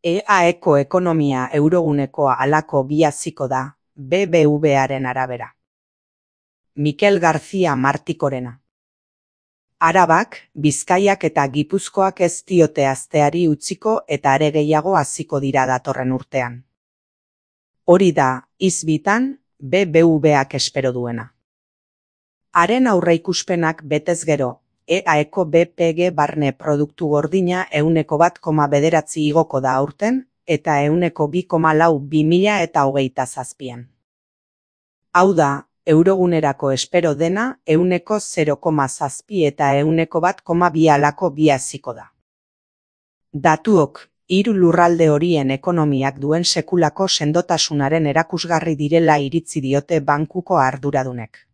EAeko ekonomia euroguneko halako bi haziko da, BBVaren arabera. Mikel García Martikorena. Arabak, Bizkaiak eta Gipuzkoak ez diote hazteari utziko eta are gehiago haziko dira datorren urtean. Hori da, izbitan, BBVak espero duena. Haren aurreikuspenak betez gero, EAeko BPG barne produktu gordina 1,9 igoko da aurten, eta 2,4 2027an. Hau da, eurogunerako espero dena 0,7 eta 1,2 halako bi haziko da. Datuok, hiru lurralde horien ekonomiak duen sekulako sendotasunaren erakusgarri direla iritzi diote bankuko arduradunek.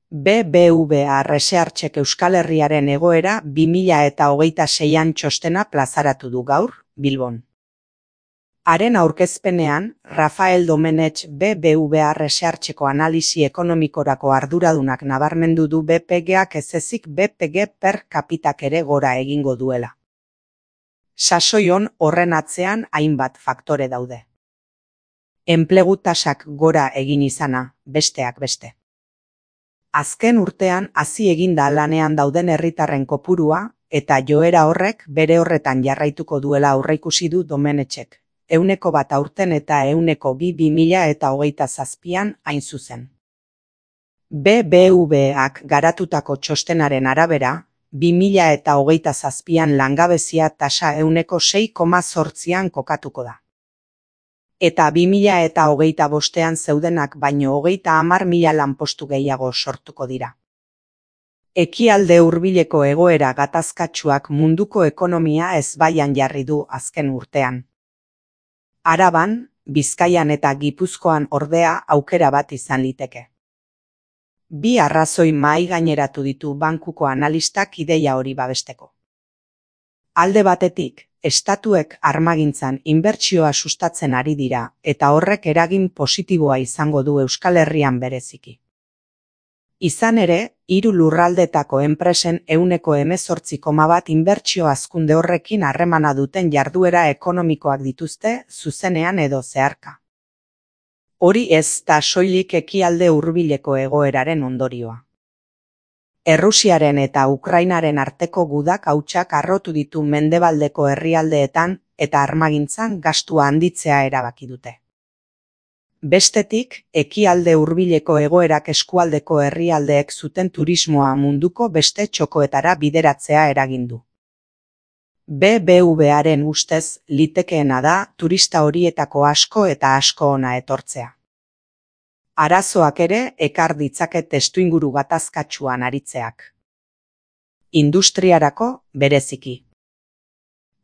BBVA Researchek Euskal Herriaren egoera 2026an txostena plazaratu du gaur, Bilbon. Haren aurkezpenean, Rafael Domenech BBVA Researcheko analisi ekonomikorako arduradunak nabarmendu du BPGak ez ezik BPG per capitak ere gora egingo duela. Sasoion horren atzean hainbat faktore daude. Enplegu tasak gora egin izana, besteak beste. Azken urtean hazi eginda lanean dauden herritarren kopurua, eta joera horrek bere horretan jarraituko duela aurreikusi du Domenechek. 100 aurten eta 202 2027an hain zuzen. BBVak garatutako txostenaren arabera, 2027an langabezia tasa 6,8an kokatuko da. Eta 2025an zeudenak baino 30.000 lanpostu gehiago sortuko dira. Ekialde hurbileko egoera gatazkatsuak munduko ekonomia ezbaian jarri du azken urtean. Araban, Bizkaian eta Gipuzkoan ordea aukera bat izan liteke. Bi arrazoi mahai gaineratu ditu bankuko analistak ideia hori babesteko. Alde batetik, estatuek armagintzan inbertsioa sustatzen ari dira eta horrek eragin positiboa izango du Euskal Herrian bereziki. Izan ere, hiru lurraldetako enpresen 18,1 inbertsio hazkunde horrekin harremana duten jarduera ekonomikoak dituzte zuzenean edo zeharka. Hori ez da soilik ekialde hurbileko egoeraren ondorioa. Errusiaren eta Ukrainaren arteko gudak hautsak harrotu ditu mendebaldeko herrialdeetan eta armagintzan gastua handitzea erabaki dute. Bestetik, ekialde hurbileko egoerak eskualdeko herrialdeek zuten turismoa munduko beste txokoetara bideratzea eragin du. BBVaren ustez litekeena da turista horietako asko eta asko hona etortzea. Arazoak ere ekar ditzake testuinguru gatazkatsuan aritzeak. Industriarako bereziki.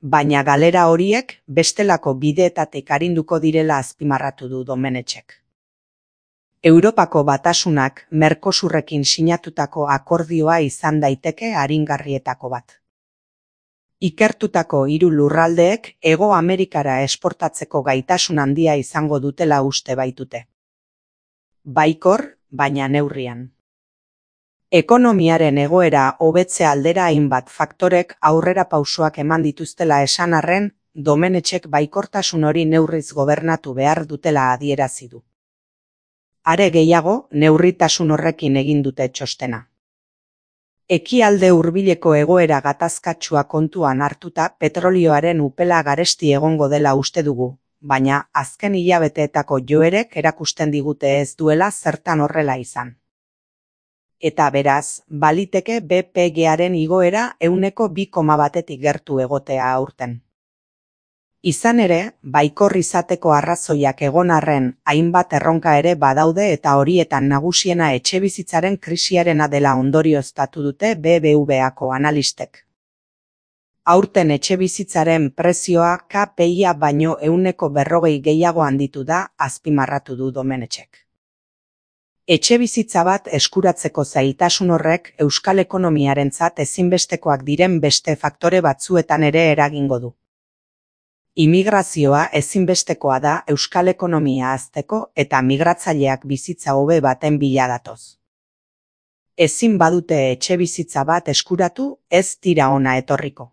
Baina galera horiek bestelako bideetatik arinduko direla azpimarratu du Domenechek. Europako Batasunak Mercosurrekin sinatutako akordioa izan daiteke aringarrietako bat. Ikertutako hiru lurraldeek Hego Amerikara esportatzeko gaitasun handia izango dutela uste baitute. Baikor, baina neurrian. Ekonomiaren egoera hobetze aldera hainbat faktorek aurrera pausoak eman dituztela esan arren, Domenechek baikortasun hori neurriz gobernatu behar dutela adierazi du. Are gehiago, neurritasun horrekin egin dute txostena. Ekialde hurbileko egoera gatazkatsua kontuan hartuta petrolioaren upela garesti egongo dela uste dugu, baina azken hilabeteetako joerek erakusten digute ez duela zertan horrela izan. Eta beraz, baliteke BPGaren igoera 2,1tik gertu egotea aurten. Izan ere, baikor izateko arrazoiak egon arren hainbat erronka ere badaude eta horietan nagusiena etxebizitzaren krisiarena dela ondorioztatu dute BBVako analistek. Aurten etxebizitzaren prezioa KPIa baino 140 gehiago handitu da, azpimarratu du Domenechek. Etxebizitza bat eskuratzeko zailtasun horrek euskal ekonomiarentzat ezinbestekoak diren beste faktore batzuetan ere eragingo du. Immigrazioa ezinbestekoa da euskal ekonomia hazteko eta migratzaileak bizitza hobe baten bila datoz. Ezin badute etxebizitza bat eskuratu, ez dira hona etorriko.